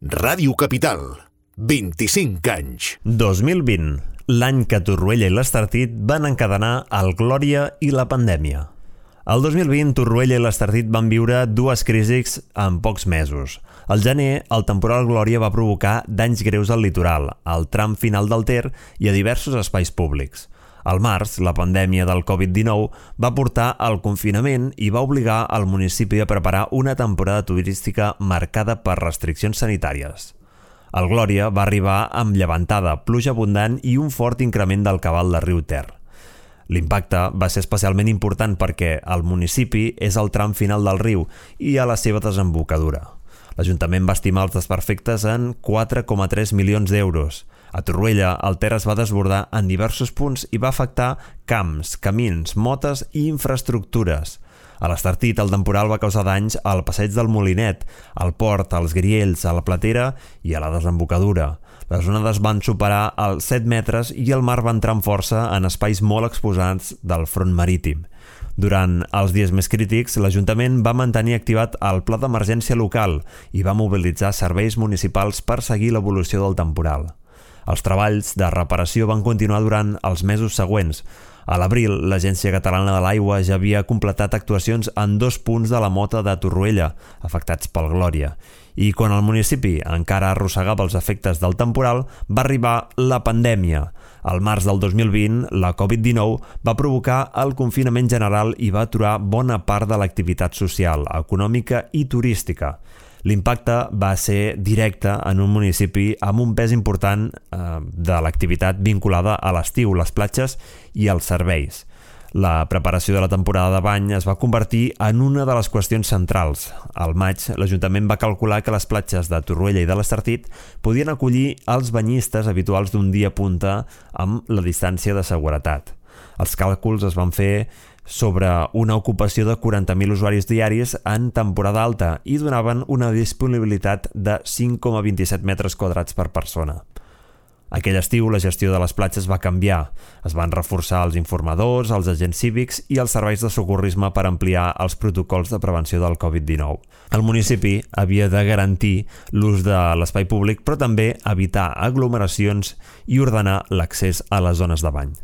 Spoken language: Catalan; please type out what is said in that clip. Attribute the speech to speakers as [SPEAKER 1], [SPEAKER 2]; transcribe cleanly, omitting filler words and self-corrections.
[SPEAKER 1] Ràdio Capital, 25 anys.
[SPEAKER 2] 2020, l'any que Torroella i l'Estartit van encadenar el Glòria i la pandèmia. El 2020, Torroella i l'Estartit van viure dues crisis en pocs mesos. Al gener, el temporal Glòria va provocar danys greus al litoral, al tram final del Ter i a diversos espais públics. Al març, la pandèmia del Covid-19 va portar al confinament i va obligar al municipi a preparar una temporada turística marcada per restriccions sanitàries. El Glòria va arribar amb llevantada, pluja abundant i un fort increment del cabal del riu Ter. L'impacte va ser especialment important perquè el municipi és al tram final del riu i a la seva desembocadura. L'Ajuntament va estimar els desperfectes en 4,3 milions d'euros. A Torroella, el Ter es va desbordar en diversos punts i va afectar camps, camins, motes i infraestructures. A l'Estartit, el temporal va causar danys al passeig del Molinet, al port, als Griells, a la Platera i a la desembocadura. Les onades van superar els 7 metres i el mar va entrar amb força en espais molt exposats del front marítim. Durant els dies més crítics, l'Ajuntament va mantenir activat el pla d'emergència local i va mobilitzar serveis municipals per seguir l'evolució del temporal. Els treballs de reparació van continuar durant els mesos següents. A l'abril, l'Agència Catalana de l'Aigua ja havia completat actuacions en 2 punts de la Mota de Torroella, afectats pel Glòria. I quan el municipi encara arrossegava els efectes del temporal, va arribar la pandèmia. Al març del 2020, la Covid-19 va provocar el confinament general i va aturar bona part de l'activitat social, econòmica i turística. L'impacte va ser directe en un municipi amb un pes important de l'activitat vinculada a l'estiu, les platges i els serveis. La preparació de la temporada de bany es va convertir en una de les qüestions centrals. Al maig, l'Ajuntament va calcular que les platges de Torroella i de l'Estartit podien acollir els banyistes habituals d'un dia punta amb la distància de seguretat. Els càlculs es van fer sobre una ocupació de 40.000 usuaris diaris en temporada alta i donaven una disponibilitat de 5,27 metres quadrats per persona. Aquell estiu, la gestió de les platges va canviar. Es van reforçar els informadors, els agents cívics i els serveis de socorrisme per ampliar els protocols de prevenció del Covid-19. El municipi havia de garantir l'ús de l'espai públic, però també evitar aglomeracions i ordenar l'accés a les zones de bany.